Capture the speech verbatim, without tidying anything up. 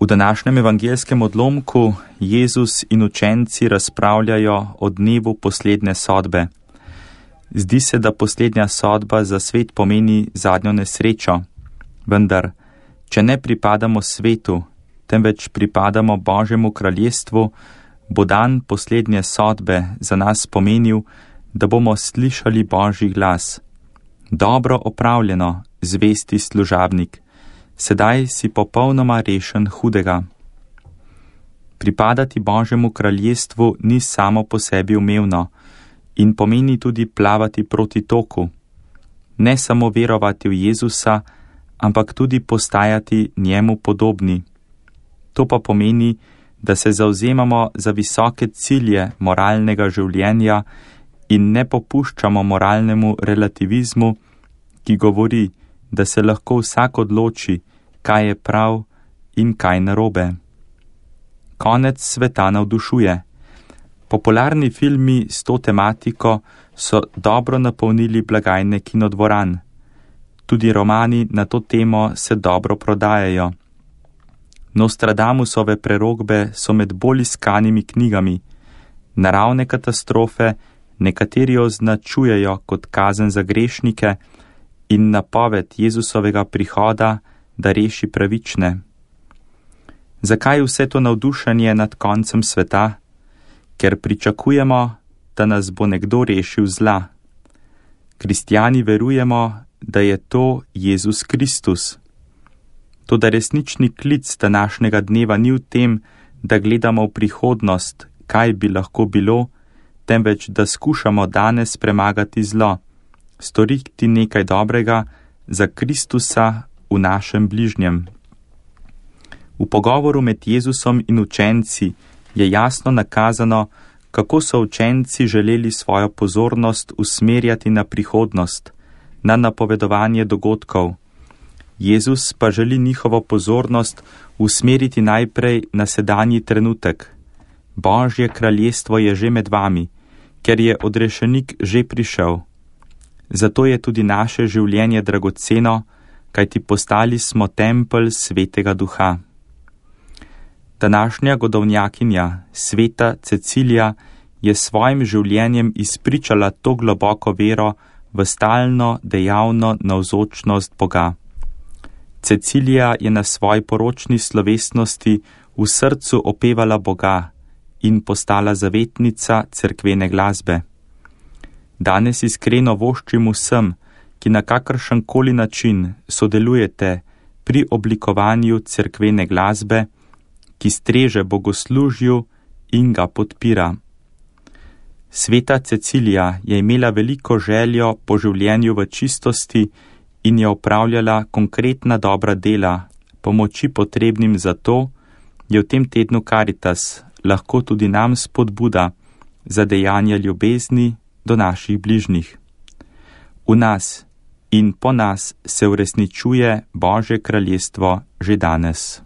V današnjem evangeljskem odlomku Jezus in učenci razpravljajo o dnevu poslednje sodbe. Zdi se, da poslednja sodba za svet pomeni zadnjo nesrečo, vendar, če ne pripadamo svetu, temveč pripadamo Božjemu kraljestvu, bo dan poslednje sodbe za nas pomenil, da bomo slišali Božji glas. Dobro opravljeno, zvesti služabnik, sedaj si popolnoma rešen hudega. Pripadati Božjemu kraljestvu ni samo po sebi umevno in pomeni tudi plavati proti toku. Ne samo verovati v Jezusa, ampak tudi postajati njemu podobni. To pa pomeni, da se zavzemamo za visoke cilje moralnega življenja in ne popuščamo moralnemu relativizmu, ki govori, da se lahko vsak odloči, kaj je prav in kaj narobe. Konec sveta navdušuje. Popularni filmi s to tematiko so dobro napolnili blagajne kinodvoran. Tudi romani na to temo se dobro prodajajo. Nostradamusove prerokbe so med bolj iskanimi knjigami. Naravne katastrofe nekateri označujejo kot kazen za grešnike in napoved Jezusovega prihoda, da reši pravične. Zakaj vse to navdušenje nad koncem sveta? Ker pričakujemo, da nas bo nekdo rešil zla. Kristjani verujemo, da je to Jezus Kristus. Toda resnični klic današnjega dneva ni v tem, da gledamo v prihodnost, kaj bi lahko bilo, temveč da skušamo danes premagati zlo, storiti nekaj dobrega za Kristusa v našem bližnjem. V pogovoru med Jezusom in učenci je jasno nakazano, kako so učenci želeli svojo pozornost usmerjati na prihodnost, na napovedovanje dogodkov. Jezus pa želi njihovo pozornost usmeriti najprej na sedanji trenutek. Božje kraljestvo je že med vami, ker je odrešenik že prišel. Zato je tudi naše življenje dragoceno, kajti postali smo tempelj Svetega Duha. Današnja godovnjakinja, sveta Cecilija, je svojim življenjem izpričala to globoko vero v stalno, dejavno navzočnost Boga. Cecilija je na svoji poročni slovesnosti v srcu opevala Boga in postala zavetnica cerkvene glasbe. Danes iskreno voščim vsem, ki na kakršenkoli način sodelujete pri oblikovanju cerkvene glasbe, ki streže bogoslužju in ga podpira. Sveta Cecilija je imela veliko željo po življenju v čistosti in je opravljala konkretna dobra dela, pomoči potrebnim za to, je v tem tednu Karitas lahko tudi nam spodbuda za dejanja ljubezni do naših bližnjih. V nas in po nas se uresničuje Božje kraljestvo že danes.